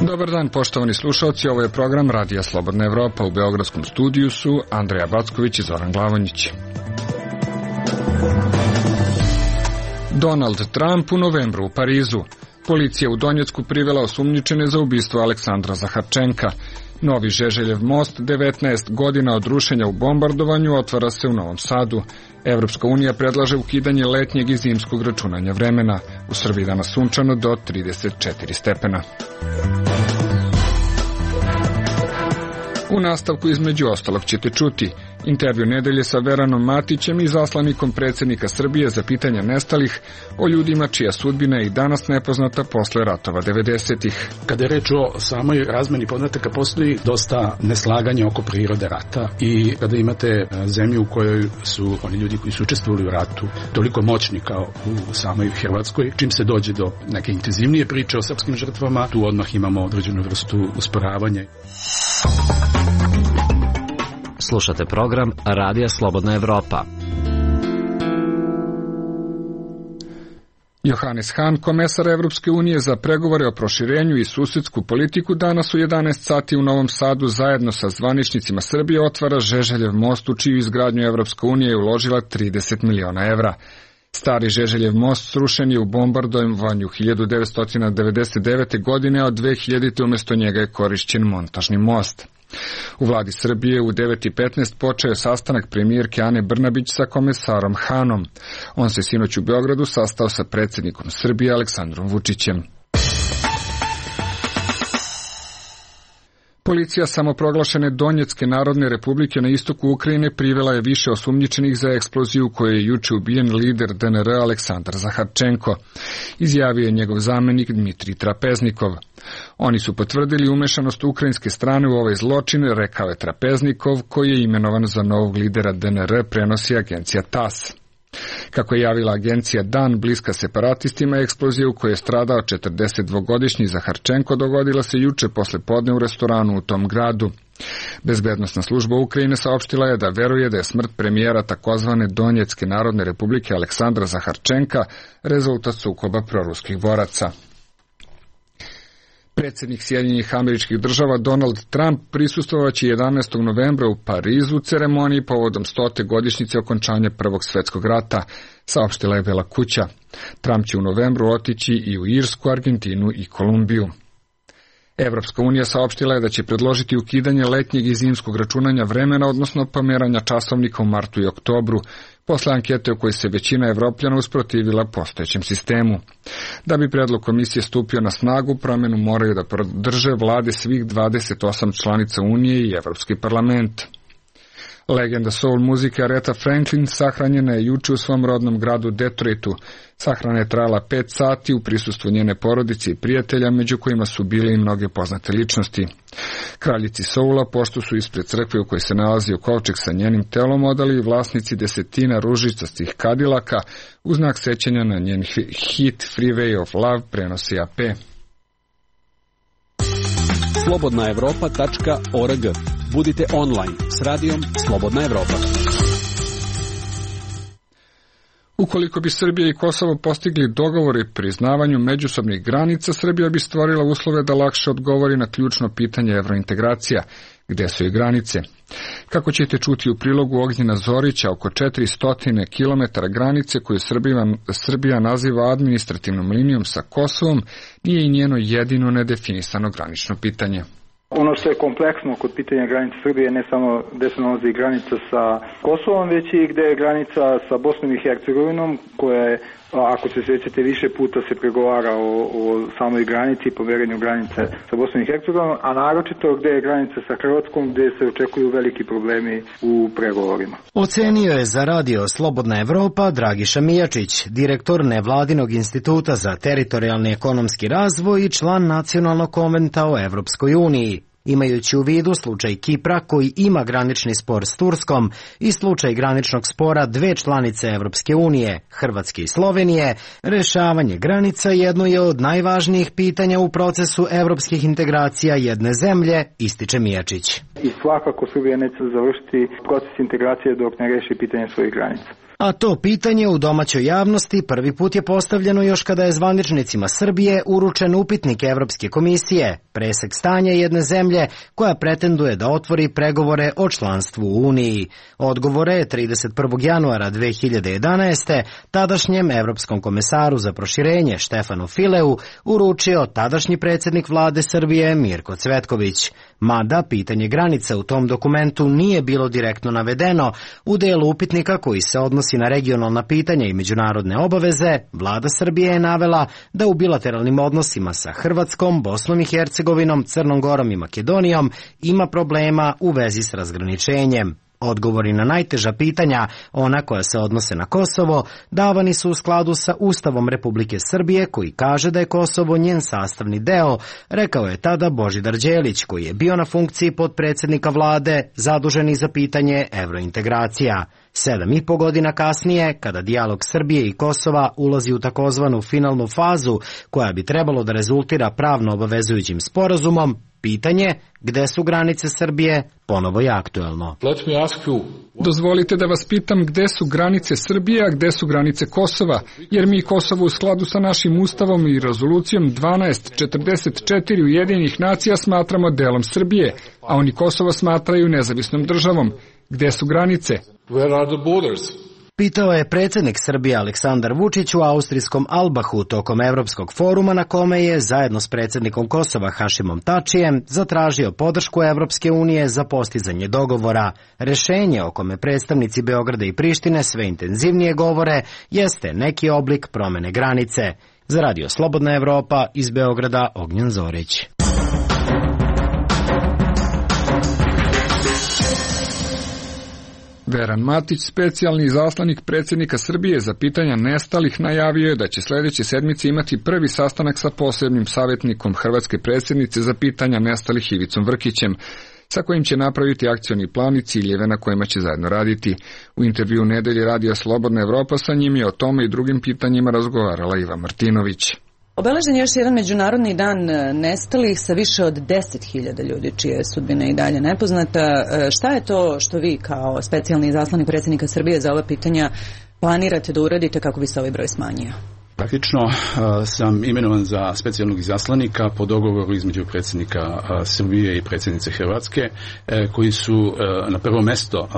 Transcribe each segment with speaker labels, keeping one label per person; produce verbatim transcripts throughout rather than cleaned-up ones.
Speaker 1: Dobar dan, poštovani slušalci, ovo je program Radija Slobodna Evropa. U beogradskom studiju su Andreja Backović i Zoran Glavonjić. Donald Trump u novembru u Parizu. Policija u Donjecku privela osumnjičene za ubistvo Aleksandra Zaharčenka. Novi Žeželjev most, devetnaest godina od rušenja u bombardovanju, otvara se u Novom Sadu. Evropska unija predlaže ukidanje letnjeg i zimskog računanja vremena. U Srbiji danas sunčano do trideset četiri stepena. U nastavku između ostalog ćete čuti intervju nedelje sa Veranom Matićem i zaslanikom predsjednika Srbije za pitanja nestalih, o ljudima čija sudbina je i danas nepoznata posle ratova devedesetih.
Speaker 2: Kada je reč o samoj razmeni podataka, postoji dosta neslaganja oko prirode rata i kada imate zemlju u kojoj su oni ljudi koji su učestvovali u ratu toliko moćni kao u samoj Hrvatskoj, čim se dođe do neke intenzivnije priče o srpskim žrtvama, tu odmah imamo određenu vrstu usporavanja.
Speaker 3: Slušate program Radija Slobodna Evropa.
Speaker 1: Johannes Hahn, komesar Evropske unije za pregovore o proširenju i susedsku politiku, danas u jedanaest sati u Novom Sadu zajedno sa zvaničnicima Srbije otvara Žeželjev most, u čiju izgradnju Evropska unija je uložila trideset miliona evra. Stari Žeželjev most srušen je u bombardovanju hiljadu devetsto devedeset devete. godine, a od dve hiljadite. umjesto njega je korišćen montažni most. U vladi Srbije u devet i petnaest počeo je sastanak premijerke Ane Brnabić sa komesarom Hahnom. On se sinoć u Beogradu sastao sa predsjednikom Srbije Aleksandrom Vučićem. Policija samoproglašene Donjecke Narodne Republike na istoku Ukrajine privela je više osumnjičenih za eksploziju u kojoj je juče ubijen lider D N R Aleksandar Zaharčenko, izjavio je njegov zamenik Dmitrij Trapeznikov. Oni su potvrdili umešanost ukrajinske strane u ovaj zločin, rekao je Trapeznikov, koji je imenovan za novog lidera D N R, prenosi agencija T A S. Kako je javila agencija Dan, bliska separatistima, eksplozija u kojoj je stradao četrdesetdvogodišnji Zaharčenko dogodila se juče posle podne u restoranu u tom gradu. Bezbednosna služba Ukrajine saopštila je da veruje da je smrt premijera takozvane Donjecke Narodne Republike Aleksandra Zaharčenka rezultat sukoba proruskih boraca. Predsjednik Sjedinjenih Američkih Država Donald Trump prisustvovaće jedanaestog novembra u Parizu ceremoniji povodom stote godišnjice okončanja Prvog svjetskog rata, saopštila je Bela kuća. Trump će u novembru otići i u Irsku, Argentinu i Kolumbiju. Evropska unija saopštila je da će predložiti ukidanje letnjeg i zimskog računanja vremena, odnosno pomeranja časovnika u martu i oktobru, posle ankete u kojoj se većina Evropljana usprotivila postojećem sistemu. Da bi predlog komisije stupio na snagu, promjenu moraju da podrže vlade svih dvadeset osam članica Unije i Evropski parlament. Legenda soul muzike Aretha Franklin sahranjena je juče u svom rodnom gradu Detroitu. Sahrana je trajala pet sati u prisustvu njene porodice i prijatelja, među kojima su bile i mnoge poznate ličnosti. Kraljici soula, pošto su ispred crkve u kojoj se nalazio kovčeg sa njenim telom, odali vlasnici desetina ružičastih kadilaka u znak sećanja na njen hit Freeway of Love, prenosi A P.
Speaker 4: slobodna evropa tačka org. Budite online s radijom Slobodna Evropa.
Speaker 1: Ukoliko bi Srbija i Kosovo postigli dogovor i priznavanju međusobnih granica, Srbija bi stvorila uslove da lakše odgovori na ključno pitanje evrointegracija, gde su i granice. Kako ćete čuti u prilogu Ognjena Zorića, oko četiristo kilometara granice koju Srbija, Srbija naziva administrativnom linijom sa Kosovom, nije i njeno jedino nedefinisano granično pitanje.
Speaker 5: Ono što je kompleksno kod pitanja granice Srbije ne samo gde se nalazi granica sa Kosovom, već i gde je granica sa Bosnom i Hercegovinom, koja je, ako se sjećate, više puta se pregovara o, o samoj granici i poverenju granice sa Bosnom i Hercegovinom, a naročito gde je granica sa Hrvatskom, gde se očekuju veliki problemi u pregovorima.
Speaker 6: Ocenio je za radio Slobodna Evropa Dragiša Mijačić, direktor Nevladinog instituta za teritorijalni ekonomski razvoj i član Nacionalnog konventa o Evropskoj uniji. Imajući u vidu slučaj Kipra koji ima granični spor s Turskom i slučaj graničnog spora dve članice Evropske unije, Hrvatske i Slovenije, rešavanje granica jedno je od najvažnijih pitanja u procesu evropskih integracija jedne zemlje, ističe Mijačić.
Speaker 5: I svakako Srbija neće završiti proces integracije dok ne reši pitanje svojih granica.
Speaker 6: A to pitanje u domaćoj javnosti prvi put je postavljeno još kada je zvaničnicima Srbije uručen upitnik Evropske komisije, presek stanja jedne zemlje koja pretenduje da otvori pregovore o članstvu u Uniji. Odgovore je trideset prvog januara dve hiljade jedanaeste. tadašnjem evropskom komesaru za proširenje Štefanu Fileu uručio tadašnji predsjednik vlade Srbije Mirko Cvetković. Mada pitanje granica u tom dokumentu nije bilo direktno navedeno, u delu upitnika koji se odnosi na regionalna pitanja i međunarodne obaveze, vlada Srbije je navela da u bilateralnim odnosima sa Hrvatskom, Bosnom i Hercegovinom, Crnom Gorom i Makedonijom ima problema u vezi s razgraničenjem. Odgovori na najteža pitanja, ona koja se odnose na Kosovo, davani su u skladu sa Ustavom Republike Srbije koji kaže da je Kosovo njen sastavni deo, rekao je tada Božidar Đelić koji je bio na funkciji potpredsjednika vlade zaduženi za pitanje evrointegracija. Sedam i po godina kasnije, kada dijalog Srbije i Kosova ulazi u takozvanu finalnu fazu koja bi trebalo da rezultira pravno obavezujućim sporazumom, pitanje gde su granice Srbije ponovo je aktuelno.
Speaker 1: Dozvolite da vas pitam gde su granice Srbije, a gde su granice Kosova, jer mi Kosovo u skladu sa našim ustavom i rezolucijom dvanaest četrdeset četiri Ujedinjenih nacija smatramo delom Srbije, a oni Kosovo smatraju nezavisnom državom. Gde su granice?
Speaker 6: Pitao je predsjednik Srbije Aleksandar Vučić u austrijskom Albahu tokom Evropskog foruma na kome je, zajedno s predsjednikom Kosova Hašimom Tačijem, zatražio podršku Evropske unije za postizanje dogovora. Rešenje o kome predstavnici Beograda i Prištine sve intenzivnije govore jeste neki oblik promene granice. Za Radio Slobodna Evropa iz Beograda Ognjen Zorić.
Speaker 1: Veran Matić, specijalni izaslanik predsjednika Srbije za pitanja nestalih, najavio je da će sljedeće sedmice imati prvi sastanak sa posebnim savjetnikom hrvatske predsjednice za pitanja nestalih Ivicom Vrkićem, sa kojim će napraviti akcioni plan i ciljeve na kojima će zajedno raditi. U intervju Nedelje Radija Slobodna Evropa sa njim je o tome i drugim pitanjima razgovarala Iva Martinović.
Speaker 7: Obeležen je još jedan međunarodni dan nestalih sa više od deset hiljada ljudi čija je sudbina i dalje nepoznata. Šta je to što vi kao specijalni izaslanik predsjednika Srbije za ova pitanja planirate da uradite kako bi se ovaj broj smanjio?
Speaker 2: Praktično sam imenovan za specijalnog izaslanika po dogovoru između predsjednika Srbije i predsjednice Hrvatske, koji su na prvo mesto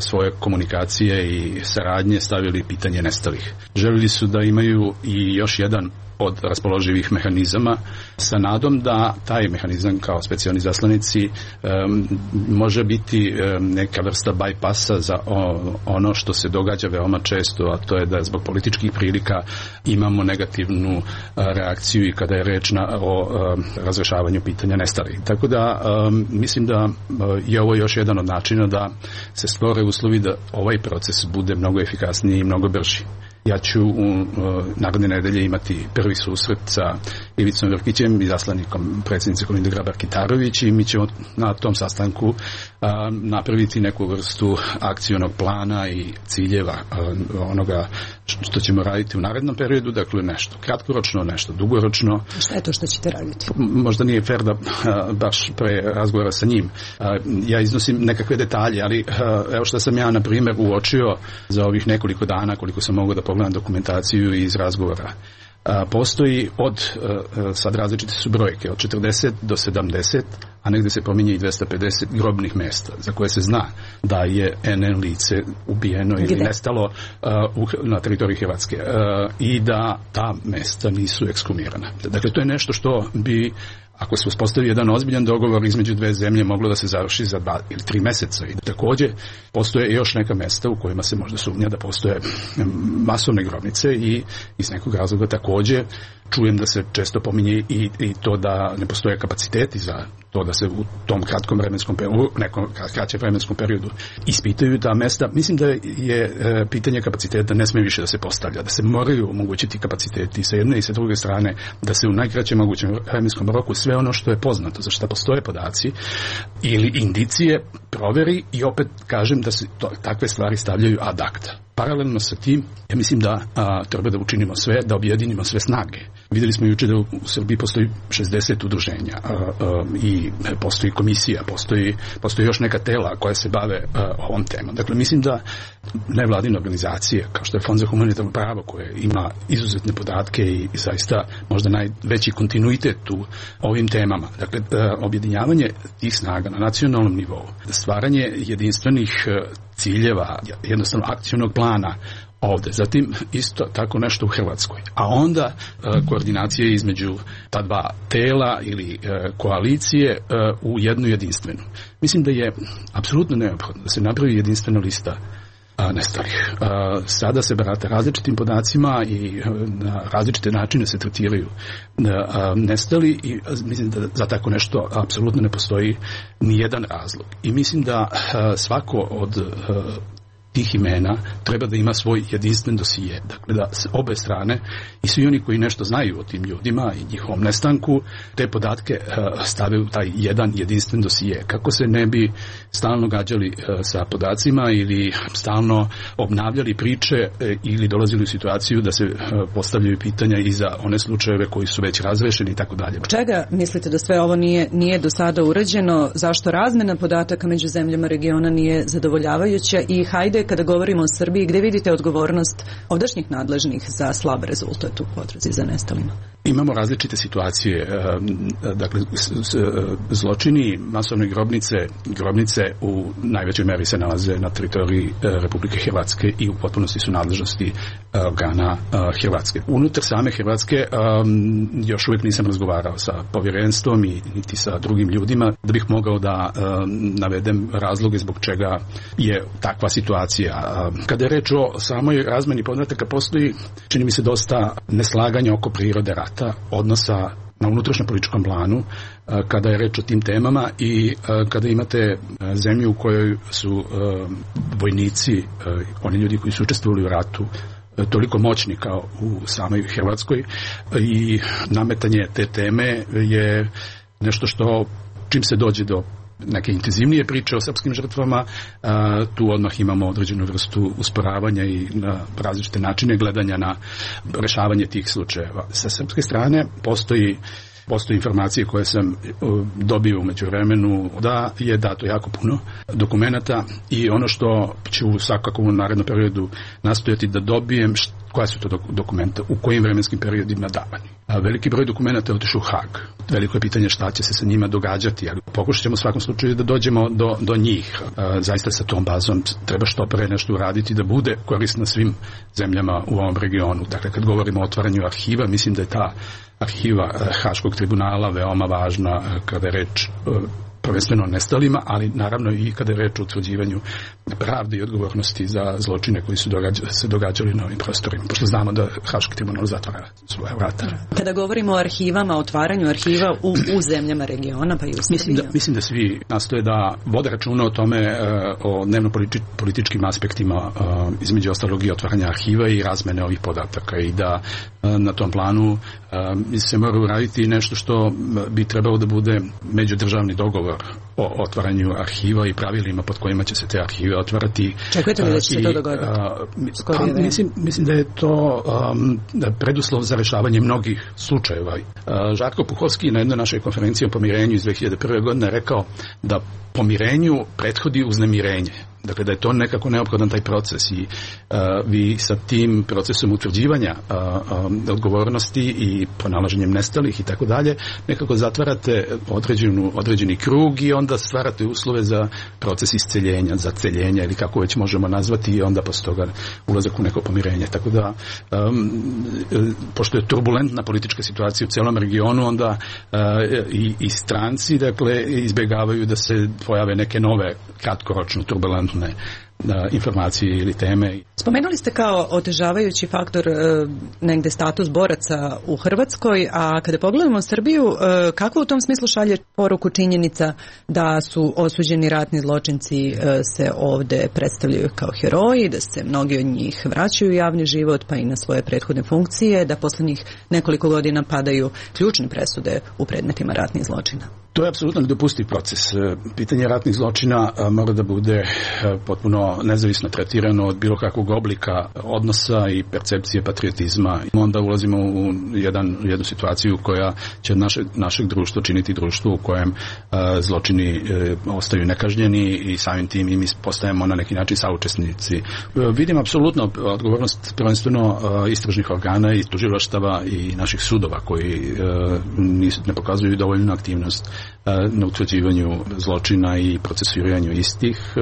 Speaker 2: svoje komunikacije i saradnje stavili pitanje nestalih. Želili su da imaju i još jedan od raspoloživih mehanizama sa nadom da taj mehanizam kao specijalni zaslanici um, može biti um, neka vrsta bajpasa za o, ono što se događa veoma često, a to je da zbog političkih prilika imamo negativnu uh, reakciju i kada je reč na, o um, razrešavanju pitanja nestalih. Tako da um, mislim da uh, je ovo još jedan od načina da se stvore uslovi da ovaj proces bude mnogo efikasniji i mnogo brži. Ja ću u uh, naredne nedelje imati prvi susret sa Ivicom Vrkićem, izaslanikom predsjednice Kolinde Grabar-Kitarović, i mi ćemo na tom sastanku uh, napraviti neku vrstu akcionog plana i ciljeva uh, onoga što ćemo raditi u narednom periodu, dakle nešto kratkoročno, nešto dugoročno.
Speaker 7: Šta je to što ćete raditi?
Speaker 2: Možda nije fair da uh, baš pre razgovora sa njim. Uh, ja iznosim nekakve detalje, ali uh, evo što sam ja na primjer uočio za ovih nekoliko dana koliko sam mogao da pogledam dokumentaciju iz razgovora. A, postoji od, a, sad različite su brojke, od četrdeset do sedamdeset, a negdje se pominje i dvesta pedeset grobnih mjesta za koje se zna da je en en lice ubijeno ili Gde? nestalo a, u, na teritoriji Hrvatske a, i da ta mjesta nisu ekshumirana. Dakle, to je nešto što bi, ako se uspostavi jedan ozbiljan dogovor između dve zemlje, moglo da se završi za dva ili tri mjeseca. I također postoje još neka mjesta u kojima se možda sumnja da postoje masovne grobnice i iz nekog razloga također čujem da se često pominje i, i to da ne postoje kapaciteti za to da se u tom kratkom vremenskom periodu, nekom kraćem vremenskom periodu ispitaju ta mesta. Mislim da je e, pitanje kapaciteta ne smije više da se postavlja, da se moraju omogućiti kapaciteti sa jedne i sa druge strane, da se u najkraćem mogućem vremenskom roku sve ono što je poznato, za što postoje podaci ili indicije proveri i opet kažem da se to, takve stvari stavljaju ad acta. Paralelno sa tim, ja mislim da a, treba da učinimo sve, da objedinimo sve snage. Vidjeli smo juče da u Srbiji postoji šezdeset udruženja a, a, i postoji komisija, postoji, postoji još neka tela koja se bave a, ovom temom. Dakle, mislim da nevladine organizacije, kao što je Fond za humanitarno pravo, koje ima izuzetne podatke i, i zaista možda najveći kontinuitet u ovim temama. Dakle, a, objedinjavanje tih snaga na nacionalnom nivou, stvaranje jedinstvenih ciljeva, jednostavno akcionog plana ovde. Zatim isto tako nešto u Hrvatskoj. A onda e, koordinacije između ta dva tela ili e, koalicije e, u jednu jedinstvenu. Mislim da je apsolutno neophodno da se napravi jedinstvena lista a, nestalih. A, sada se barata različitim podacima i a, na različite načine se tretiraju a, nestali i a, mislim da za tako nešto apsolutno ne postoji ni jedan razlog. I mislim da a, svako od a, tih imena treba da ima svoj jedinstven dosije. Dakle, da obe strane i svi oni koji nešto znaju o tim ljudima i njihovom nestanku, te podatke uh, stave u taj jedan jedinstven dosije. Kako se ne bi stalno gađali uh, sa podacima ili stalno obnavljali priče uh, ili dolazili u situaciju da se uh, postavljaju pitanja i za one slučajeve koji su već razrešeni i tako dalje.
Speaker 7: Čega mislite da sve ovo nije, nije do sada urađeno? Zašto razmena podataka među zemljama regiona nije zadovoljavajuća? I hajde, kada govorimo o Srbiji, gde vidite odgovornost ovdašnjih nadležnih za slab rezultat u potrazi za nestalima?
Speaker 2: Imamo različite situacije. Dakle, zločini, masovne grobnice, grobnice u najvećoj meri se nalaze na teritoriji Republike Hrvatske i u potpunosti su nadležnosti organa Hrvatske. Unutar same Hrvatske još uvijek nisam razgovarao sa povjerenstvom i niti sa drugim ljudima da bih mogao da navedem razloge zbog čega je takva situacija. Kada je reč o samoj razmeni podataka, postoji, čini mi se, dosta neslaganja oko prirode rata, odnosa na unutrašnjem političkom planu, kada je reč o tim temama i kada imate zemlju u kojoj su vojnici, oni ljudi koji su učestvovali u ratu, toliko moćni kao u samoj Hrvatskoj, i nametanje te teme je nešto što, čim se dođe do neke intenzivnije priče o srpskim žrtvama, a, tu odmah imamo određenu vrstu usporavanja i na različite načine gledanja na rešavanje tih slučajeva. Sa srpske strane postoji Postoje informacije koje sam dobio u međuvremenu da je dato jako puno dokumenata i ono što ću svakako u narednom periodu nastojati da dobijem, koja su to dokumenta, u kojim vremenskim periodima davani. A veliki broj dokumenta je otišao u Hag. Veliko je pitanje šta će se sa njima događati, ali pokušat ćemo u svakom slučaju da dođemo do, do njih. A, zaista sa tom bazom treba što pre nešto uraditi da bude korisna svim zemljama u ovom regionu. Dakle, kad govorimo o otvaranju arhiva, mislim da je ta arhiva Haškog tribunala veoma važna kada je reč prvenstveno nestalima, ali naravno i kada je reč o utvrđivanju pravde i odgovornosti za zločine koji su događa, se događali na ovim prostorima, pošto znamo da Haški tribunal zatvara svoje vrata. Kada
Speaker 7: govorimo o arhivama, otvaranju arhiva u, u zemljama regiona, pa i u Srbiji.
Speaker 2: Mislim da, mislim da svi nastoje da vode računa o tome, o dnevno političkim aspektima, između ostalog i otvaranja arhiva i razmene ovih podataka, i da na tom planu se mora uraditi nešto što bi trebalo da bude međudržavni dogovor o otvaranju arhiva i pravilima pod kojima će se te arhive otvarati.
Speaker 7: Čekajte li da će se to dogoditi?
Speaker 2: Pa, mislim, mislim da je to um, preduslov za rešavanje mnogih slučajeva. Uh, Žarko Puhovski na jednoj našoj konferenciji o pomirenju iz dve hiljade prve. godine rekao da pomirenju prethodi uznemirenje. Dakle, da je to nekako neophodan taj proces i uh, vi sa tim procesom utvrđivanja uh, um, odgovornosti i pronalaženjem nestalih i tako dalje, nekako zatvarate određenu, određeni krug i onda stvarate uslove za proces isceljenja, za celjenja ili kako već možemo nazvati, i onda posle toga ulazak u neko pomirenje. Tako da, um, pošto je turbulentna politička situacija u celom regionu, onda uh, i, i stranci, dakle, izbjegavaju da se pojave neke nove kratkoročno turbulentne informacije ili teme.
Speaker 7: Spomenuli ste kao otežavajući faktor e, negde status boraca u Hrvatskoj, a kada pogledamo Srbiju, e, kako u tom smislu šalje poruku činjenica da su osuđeni ratni zločinci e, se ovde predstavljaju kao heroji, da se mnogi od njih vraćaju u javni život pa i na svoje prethodne funkcije, da poslednjih nekoliko godina padaju ključne presude u predmetima ratnih zločina?
Speaker 2: To je apsolutno nedopustiv proces. Pitanje ratnih zločina mora da bude potpuno potpuno nezavisno tretirano od bilo kakvog oblika odnosa i percepcije patriotizma. Onda ulazimo u jedan, jednu situaciju koja će naše, našeg društva činiti društvo u kojem a, zločini e, ostaju nekažnjeni i samim tim i mi postajemo na neki način saučesnici. E, vidim apsolutno odgovornost prvenstveno e, istražnih organa i tužilaštava i naših sudova koji e, nisu, ne pokazuju dovoljnu aktivnost e, na utvrđivanju zločina i procesuiranju istih. E,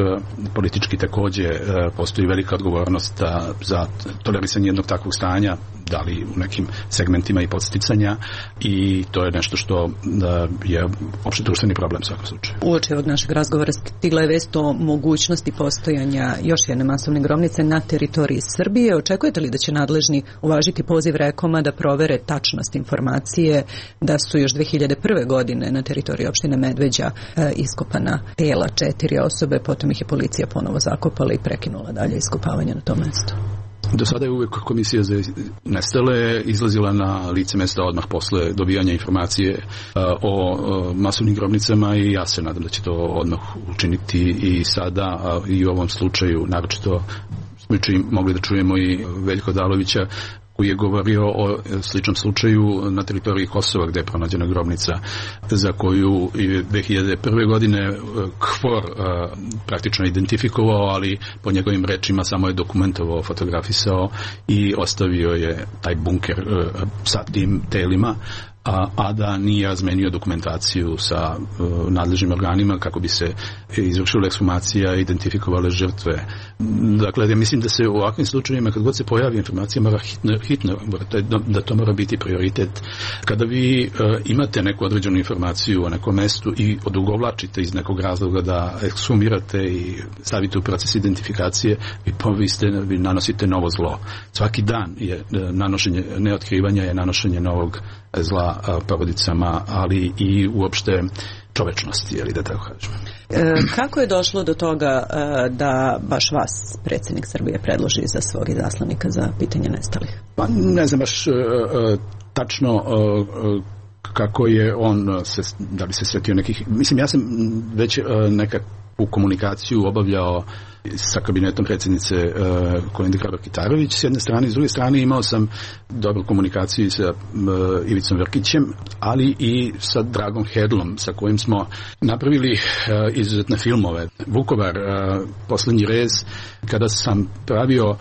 Speaker 2: politički takođe e, postoji velika odgovornost a, za tolerisanje jednog takvog stanja, da li u nekim segmentima i podsticanja, i to je nešto što da, je opšte društveni problem u svakom slučaju.
Speaker 7: Uoči ovog našeg razgovora stigla je vest o mogućnosti postojanja još jedne masovne grobnice na teritoriji Srbije. Očekujete li da će nadležni uvažiti poziv Rekoma da provere tačnost informacije da su još dve hiljade prve. godine na teritoriji opštine Medveđa e, iskopana tela četiri osobe, potom ih je policija ponovo zakopala i prekinula dalje iskopavanje na tom mestu?
Speaker 2: Do sada je uvijek komisija za nestale izlazila na lice mesta odmah posle dobijanja informacije uh, o uh, masovnim grobnicama i ja se nadam da će to odmah učiniti i sada uh, i u ovom slučaju, naročito smo mogli da čujemo i Veljko Odalovića koji je govorio o sličnom slučaju na teritoriji Kosova gde je pronađena grobnica za koju je dve hiljade prve. godine KFOR praktično identifikovao, ali po njegovim rečima samo je dokumentovao, fotografisao i ostavio je taj bunker sa tim telima, A, a da nije razmenio dokumentaciju sa uh, nadležnim organima kako bi se izvršila ekshumacija i identifikovale žrtve. Dakle, ja mislim da se u ovakvim slučajevima, kad god se pojavi informacija, mora hitno, hitno da to mora biti prioritet. Kada vi uh, imate neku određenu informaciju o nekom mestu i odugovlačite iz nekog razloga da ekshumirate i stavite u proces identifikacije, vi, vi, ste, vi nanosite novo zlo. Svaki dan je nanošenje, neotkrivanja je nanošenje novog zla porodicama, ali i uopšte čovečnosti, je li da tako kažem.
Speaker 7: E, kako je došlo do toga e, da baš vas predsjednik Srbije predloži za svog izaslanika za pitanje nestalih?
Speaker 2: Pa ne znam baš e, e, tačno e, kako je on se, da li se sjetio nekih, mislim ja sam već e, nekakvu komunikaciju obavljao sa kabinetom predsjednice uh, Kolinde Grabar-Kitarović s jedne strane, s druge strane imao sam dobru komunikaciju sa uh, Ivicom Vrkićem, ali i sa Dragom Hedlom, sa kojim smo napravili uh, izuzetne filmove. Vukovar, uh, Poslednji rez, kada sam pravio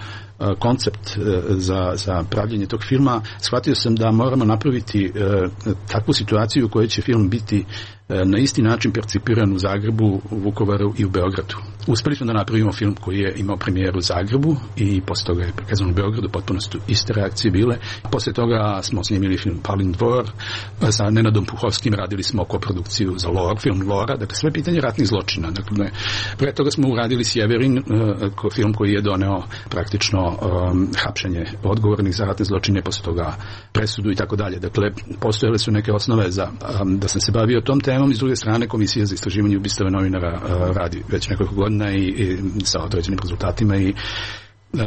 Speaker 2: koncept za, za pravljenje tog filma, shvatio sam da moramo napraviti uh, takvu situaciju u kojoj će film biti uh, na isti način percipiran u Zagrebu, u Vukovaru i u Beogradu. Uspeli smo da napravimo film koji je imao premijeru u Zagrebu i posle toga je prikazan u Beogradu, potpuno su iste reakcije bile. Posle toga smo snimili film Palin dvor, sa Nenadom Puhovskim radili smo koprodukciju za Lor, film Lora, dakle sve pitanje ratnih zločina. Dakle, pre toga smo uradili Sjeverin, uh, film koji je doneo praktično um, hapšenje odgovornih za ratne zločine, posle toga presudu i tako dalje. Dakle, postojale su neke osnove za um, da sam se bavio tom temom i s druge strane Komisija za istraživanje ubistava novinara uh, radi već nekoliko godina i, i sa određenim rezultatima i uh,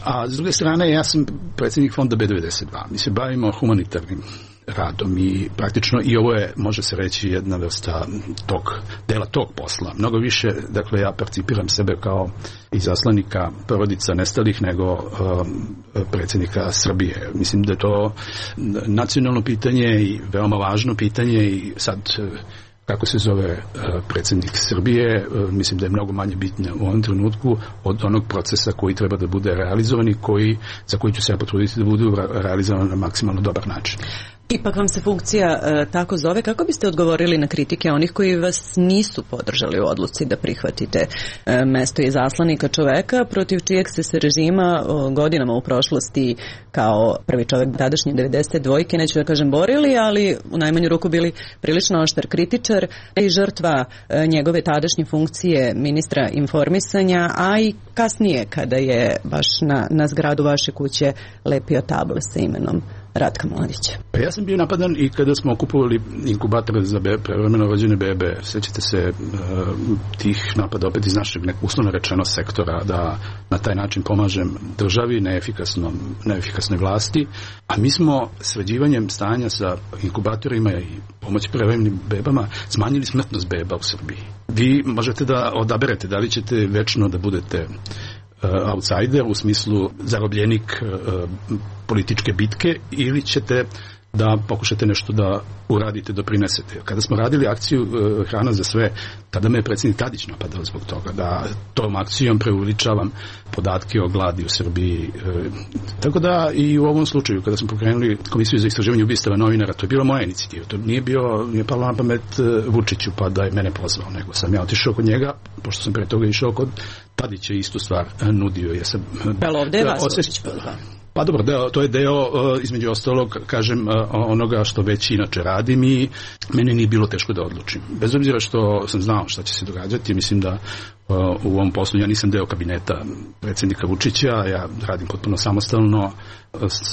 Speaker 2: a s druge strane ja sam predsjednik fonda B devedeset dva. Mi se bavimo humanitarnim radom i praktično i ovo je, može se reći, jedna vrsta tog, dela tog posla. Mnogo više, dakle, ja percipiram sebe kao izaslanika porodica nestalih nego um, predsjednika Srbije. Mislim da je to nacionalno pitanje i veoma važno pitanje i sad kako se zove uh, predsjednik Srbije, uh, mislim da je mnogo manje bitno u ovom trenutku od onog procesa koji treba da bude realizovan i koji, za koji ću se ja potruditi da budu realizovan na maksimalno dobar način.
Speaker 7: Ipak vam se funkcija e, tako zove. Kako biste odgovorili na kritike onih koji vas nisu podržali u odluci da prihvatite e, mesto izaslanika, čoveka protiv čijeg ste se režima o, godinama u prošlosti kao prvi čovek tadašnje devedeset dvojke, neću da kažem borili, ali u najmanju ruku bili prilično oštar kritičar i žrtva e, njegove tadašnje funkcije ministra informisanja, a i kasnije kada je baš na, na zgradu vaše kuće lepio table sa imenom Ratka Mladića?
Speaker 2: Pa ja sam bio napadan i kada smo okupovali inkubatore za bebe, prevremeno rođene bebe. Sećate se uh, tih napada opet iz našeg nekog uslovno rečeno sektora, da na taj način pomažem državi, neefikasnom, neefikasnoj vlasti, a mi smo sređivanjem stanja sa inkubatorima i pomoći prevremenim bebama smanjili smrtnost beba u Srbiji. Vi možete da odaberete da li ćete večno da budete outsider, u smislu zarobljenik uh, političke bitke, ili ćete da pokušate nešto da uradite, doprinesete. Kada smo radili akciju uh, Hrana za sve, tada me je predsjednik Tadić napadao zbog toga, da tom akcijom preuveličavam podatke o gladi u Srbiji. Uh, tako da i u ovom slučaju, kada smo pokrenuli Komisiju za istraživanje ubistava novinara, to je bila moja inicijativa. To nije bio, nije palo na pamet uh, Vučiću pa da je mene pozvao, nego sam ja otišao kod njega, pošto sam pre toga išao kod Tadić je istu stvar nudio. Ja sam,
Speaker 7: Jel ovdje je vas Vučić pozvao?
Speaker 2: Pa dobro, deo, to je deo, između ostalog, kažem, onoga što već inače radim i meni nije bilo teško da odlučim. Bez obzira što sam znao šta će se događati, mislim da u ovom poslu ja nisam deo kabineta predsjednika Vučića, ja radim potpuno samostalno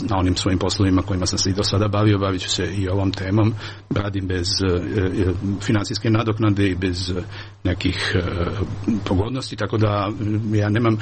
Speaker 2: na onim svojim poslovima kojima sam se i do sada bavio, bavit ću se i ovom temom, radim bez finansijske nadoknade i bez nekih pogodnosti, tako da ja nemam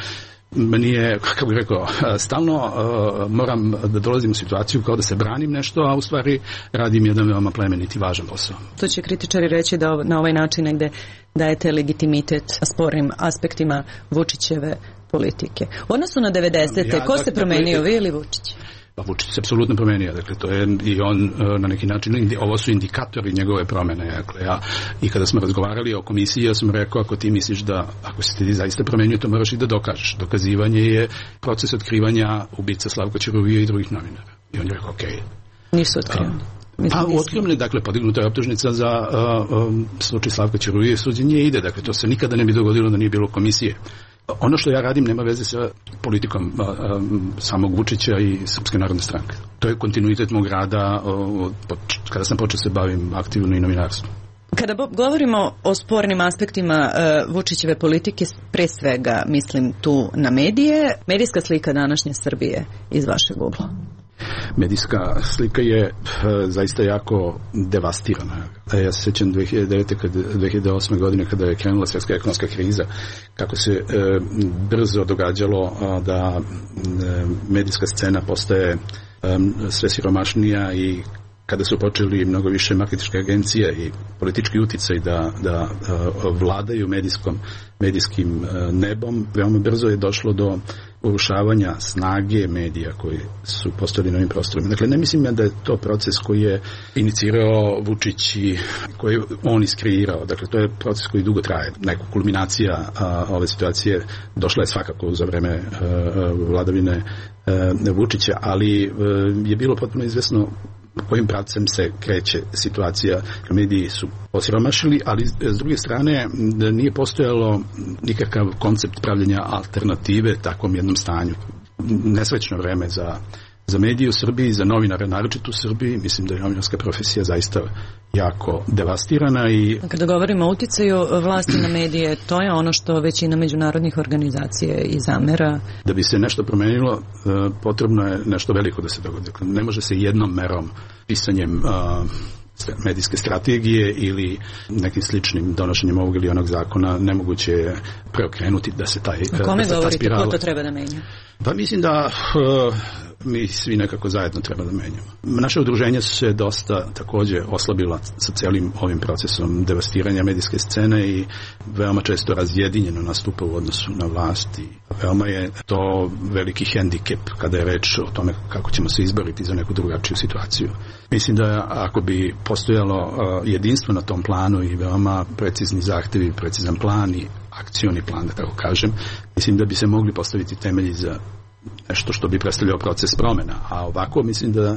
Speaker 2: meni je, kako bih rekao, stalno uh, moram da dolazim u situaciju kao da se branim nešto, a u stvari radim jedan veoma plemeniti, važan posao.
Speaker 7: To će kritičari reći da na ovaj način negde dajete legitimitet spornim aspektima Vučićeve politike. U odnosu na devedesete. Ja, ko se promenio, vi ili Vučić?
Speaker 2: Pa Vučić se apsolutno promenio, dakle to je i on na neki način, ovo su indikatori njegove promene, dakle ja, i kada smo razgovarali o komisiji, ja sam rekao, ako ti misliš da, ako se ti zaista promenio, to moraš i da dokažeš. Dokazivanje je proces otkrivanja ubica Slavka Ćuruvije i drugih novinara. I on je rekao, okej. Okay.
Speaker 7: Nisu otkrivani.
Speaker 2: Pa otkrivani, dakle, podignuta je optužnica za uh, um, slučaj Slavka Ćuruvije, suđenje ide, dakle, to se nikada ne bi dogodilo da nije bilo komisije. Ono što ja radim nema veze sa politikom a, a, samog Vučića i Srpske narodne stranke. To je kontinuitet mog rada o, o, kada sam počeo se bavim aktivno i novinarstvom.
Speaker 7: Kada govorimo o spornim aspektima uh, Vučićeve politike, pre svega mislim tu na medije, medijska slika današnje Srbije iz vašeg ugla.
Speaker 2: Medijska slika je e, zaista jako devastirana. Ja se sjećam dve hiljade devete, kada, dve hiljade osme godine kada je krenula svjetska ekonomska kriza, kako se e, brzo događalo a, da e, medijska scena postaje e, sve siromašnija i kada su počeli mnogo više marketinške agencije i politički uticaj da, da uh, vladaju medijskom, medijskim uh, nebom, veoma brzo je došlo do urušavanja snage medija koji su postojali na ovim prostorima. Dakle, ne mislim da je to proces koji je inicirao Vučić i koji je on iskreirao. Dakle, to je proces koji dugo traje. Neka kulminacija uh, ove situacije došla je svakako za vreme uh, vladavine uh, Vučića, ali uh, je bilo potpuno izvesno kojim pravcem se kreće situacija. Mediji su osiromašili, ali s druge strane nije postojalo nikakav koncept pravljenja alternative takvom jednom stanju. Nesrećno vreme za, za medije u Srbiji, za novinare naročito u Srbiji. Mislim da je novinarska profesija zaista jako devastirana. I
Speaker 7: kada govorimo o uticaju vlasti na medije, to je ono što većina međunarodnih organizacija i zamera.
Speaker 2: Da bi se nešto promenilo, potrebno je nešto veliko da se dogodi. Ne može se jednom merom, pisanjem medijske strategije ili nekim sličnim donošenjem ovog ili onog zakona nemoguće je preokrenuti da se taj
Speaker 7: spirala. Kome govorite,
Speaker 2: spirala...
Speaker 7: ko to treba da menja?
Speaker 2: Pa mislim da uh, mi svi nekako zajedno treba da menjamo. Naše udruženja su se dosta također oslabila sa cijelim ovim procesom devastiranja medijske scene i veoma često razjedinjeno nastupa u odnosu na vlast i veoma je to veliki hendikep kada je reč o tome kako ćemo se izboriti za neku drugačiju situaciju. Mislim da ako bi postojalo uh, jedinstvo na tom planu i veoma precizni zahtevi, precizan plan i akcioni plan, da tako kažem, mislim da bi se mogli postaviti temelji za nešto što bi predstavljao proces promjena. A ovako mislim da e,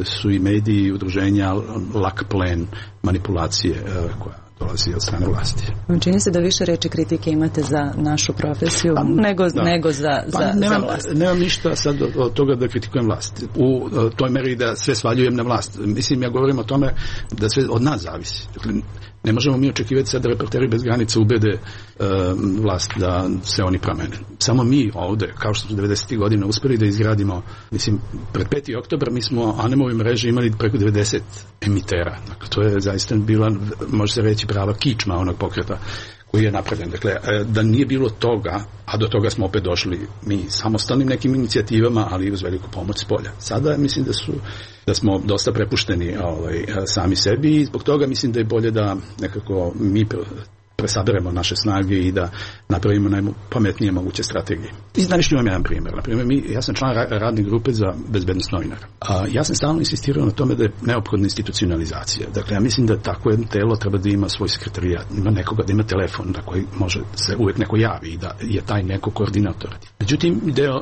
Speaker 2: su i mediji i udruženja lak plen manipulacije e, koja dolazi od strane vlasti.
Speaker 7: Čini se da više reči kritike imate za našu profesiju pa, nego, nego za,
Speaker 2: pa,
Speaker 7: za,
Speaker 2: nemam,
Speaker 7: za vlast.
Speaker 2: Nemam ništa sad od, od toga da kritikujem vlast. U toj meri da sve svaljujem na vlast. Mislim, ja govorim o tome da sve od nas zavisi. Dakle, ne možemo mi očekivati sad da Reporteri bez granica ubede e, vlast da se oni promene. Samo mi ovde, kao što smo devedesetih godina uspeli da izgradimo, mislim, pred peti oktobar mi smo Anemovi mreže imali preko devedeset emitera. Dakle, to je zaista bila, može se reći, prava kičma onog pokreta koji je napravljen. Dakle, da nije bilo toga, a do toga smo opet došli mi samostalnim nekim inicijativama, ali i uz veliku pomoć s polja. Sada mislim da su da smo dosta prepušteni ovaj, sami sebi i zbog toga mislim da je bolje da nekako mi presaberemo naše snage i da napravimo najpametnije moguće strategije. I znaš što imam jedan primjer. Naprimjer, mi, ja sam član radne grupe za bezbednost novinara. A ja sam stalno insistirao na tome da je neophodna institucionalizacija. Dakle, ja mislim da tako jedno telo treba da ima svoj sekretarijat, ima nekoga, da ima telefon na koji može se uvijek neko javi i da je taj neko koordinator. Međutim, deo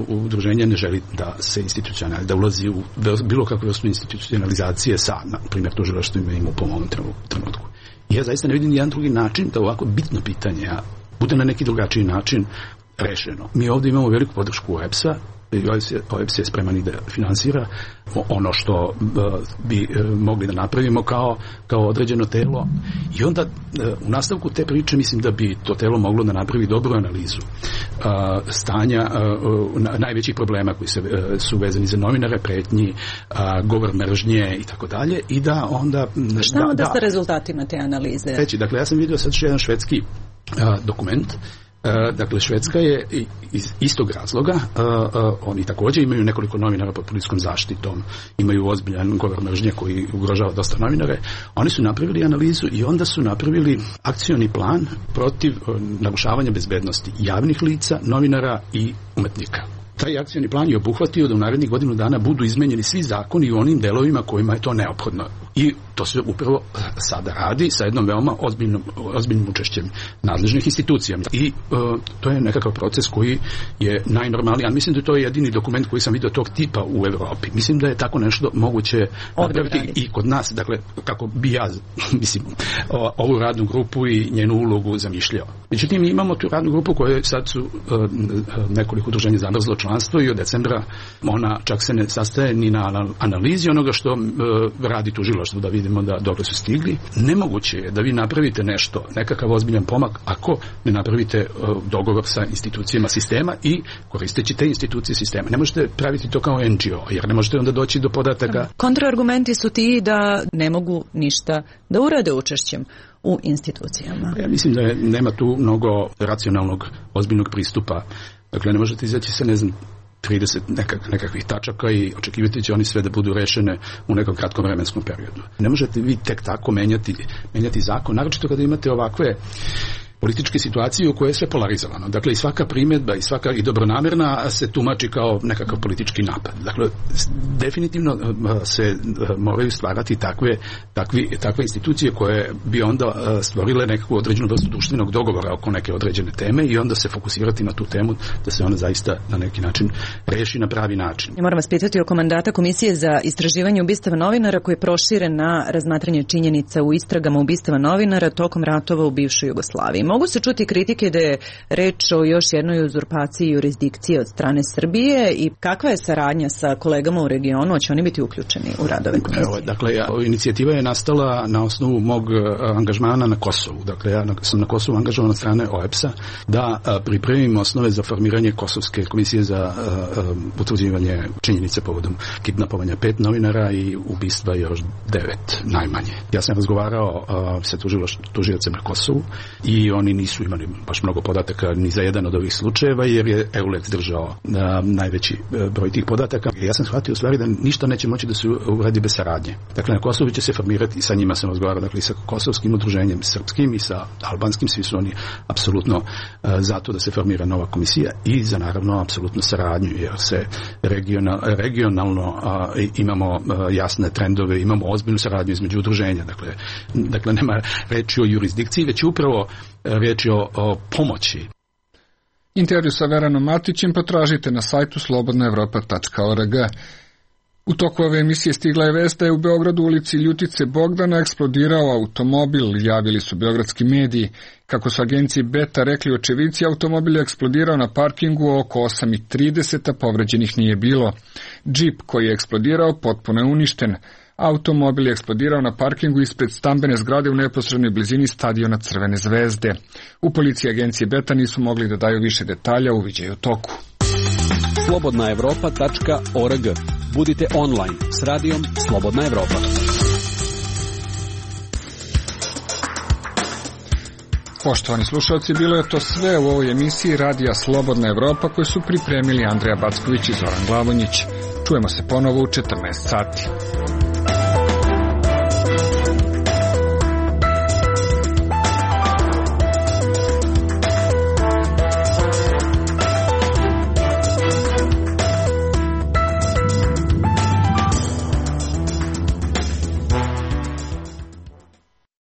Speaker 2: udruženja ne želi da se institucionalizuje, da ulazi u bilo kakvu vrstu institucionalizacije sa, na primjer, tužilaštvima ima u ovom trenutku. Ja zaista ne vidim jedan drugi način da ovako bitno pitanje bude na neki drugačiji način rešeno. Mi ovdje imamo veliku podršku O E B S-a, O E B S je spreman i da finansira ono što bi mogli da napravimo kao, kao određeno telo. I onda u nastavku te priče mislim da bi to telo moglo da napravi dobru analizu stanja najvećih problema koji se, su vezani za novinare, pretnji, govor mržnje i tako dalje i da onda...
Speaker 7: Šta onda da, sa rezultatima te analize?
Speaker 2: Reći, dakle, ja sam vidio sad što jedan švedski dokument. Dakle, Švedska je iz istog razloga, oni također imaju nekoliko novinara pod policijskom zaštitom, imaju ozbiljan govor mržnje koji ugrožava dosta novinare. Oni su napravili analizu i onda su napravili akcioni plan protiv narušavanja bezbednosti javnih lica, novinara i umetnika. Taj akcioni plan je obuhvatio da u narednih godinu dana budu izmenjeni svi zakoni u onim delovima kojima je to neophodno. I to se upravo sada radi sa jednom veoma ozbiljnom, ozbiljnim učešćem nadležnih institucija. I uh, to je nekakav proces koji je najnormalniji. Mislim da je to jedini dokument koji sam vidio tog tipa u Evropi. Mislim da je tako nešto moguće napraviti i kod nas. Dakle, kako bi ja, mislim, ovu radnu grupu i njenu ulogu zamišljao. Međutim, mi imamo tu radnu grupu koja sad su uh, nekoliko udruženja zamrzlo članstvo i od decembra ona čak se ne sastaje ni na analizi onoga što uh, radi tužilaštvo, da vidimo da dokle su stigli. Nemoguće je da vi napravite nešto, nekakav ozbiljan pomak, ako ne napravite uh, dogovor sa institucijama sistema i koristeći te institucije sistema. Ne možete praviti to kao N G O, jer ne možete onda doći do podataka.
Speaker 7: Kontraargumenti su ti da ne mogu ništa da urade učešćem u institucijama.
Speaker 2: Ja mislim da je, nema tu mnogo racionalnog, ozbiljnog pristupa. Dakle, ne možete izaći sa, ne znam, trideset nekak, nekakvih tačaka i očekivati će oni sve da budu rešene u nekom kratkom vremenskom periodu. Ne možete vi tek tako menjati, menjati zakon, naročito kada imate ovakve političke situacije u kojoj je sve polarizovano. Dakle, i svaka primjedba i svaka i dobronamerna se tumači kao nekakav politički napad. Dakle, definitivno se moraju stvarati takve, takvi, takve institucije koje bi onda stvorile nekakvu određenu vrstu društvenog dogovora oko neke određene teme i onda se fokusirati na tu temu da se ona zaista na neki način reši na pravi način.
Speaker 7: Ja moram vas pitati oko mandata Komisije za istraživanje ubistava novinara koji je proširen na razmatranje činjenica u istragama ubistava novinara tokom ratova u bivšoj Jugoslaviji. Mogu se čuti kritike da je reč o još jednoj uzurpaciji jurisdikcije od strane Srbije i kakva je saradnja sa kolegama u regionu, hoće oni biti uključeni u radove komisije?
Speaker 2: Evo, dakle, ja, inicijativa je nastala na osnovu mog angažmana na Kosovu. Dakle, ja sam na Kosovu angažovan od strane O E B S-a da a, pripremim osnove za formiranje Kosovske komisije za a, a, utvrđivanje činjenice povodom kidnapovanja pet novinara i ubistva još devet najmanje. Ja sam razgovarao a, sa tužiocem na Kosovu i oni nisu imali baš mnogo podataka ni za jedan od ovih slučajeva, jer je EULEX držao na najveći broj tih podataka. Ja sam shvatio u stvari da ništa neće moći da se uradi bez saradnje. Dakle, na Kosovu će se formirati, sa njima sam razgovarao, dakle, i sa kosovskim udruženjem, srpskim i sa albanskim, svi su oni apsolutno uh, zato da se formira nova komisija i za naravno apsolutno saradnju, jer se regional, regionalno uh, imamo uh, jasne trendove, imamo ozbiljnu saradnju između udruženja. Dakle, dakle nema reči o jurisdikciji, već upravo riječ je o, o pomoći.
Speaker 1: Intervju sa Veranom Matićem potražite na sajtu slobodna evropa tačka org. U toku ove emisije stigla je vest da je u Beogradu u ulici Ljutice Bogdana eksplodirao automobil, javili su beogradski mediji. Kako su agenciji Beta rekli očevici, automobil je eksplodirao na parkingu oko osam i trideset, a povređenih nije bilo. Džip koji je eksplodirao potpuno je uništen. Automobil je eksplodirao na parkingu ispred stambene zgrade u neposrednoj blizini stadiona Crvene zvezde. U policiji agencije Beta nisu mogli da daju više detalja, uviđaju u toku.
Speaker 4: slobodna evropa tačka org. Budite online s radijom Slobodna Evropa.
Speaker 1: Poštovani slušalci, bilo je to sve u ovoj emisiji Radija Slobodna Evropa koju su pripremili Andreja Backović i Zoran Glavonjić. Čujemo se ponovo u četrnaest sati.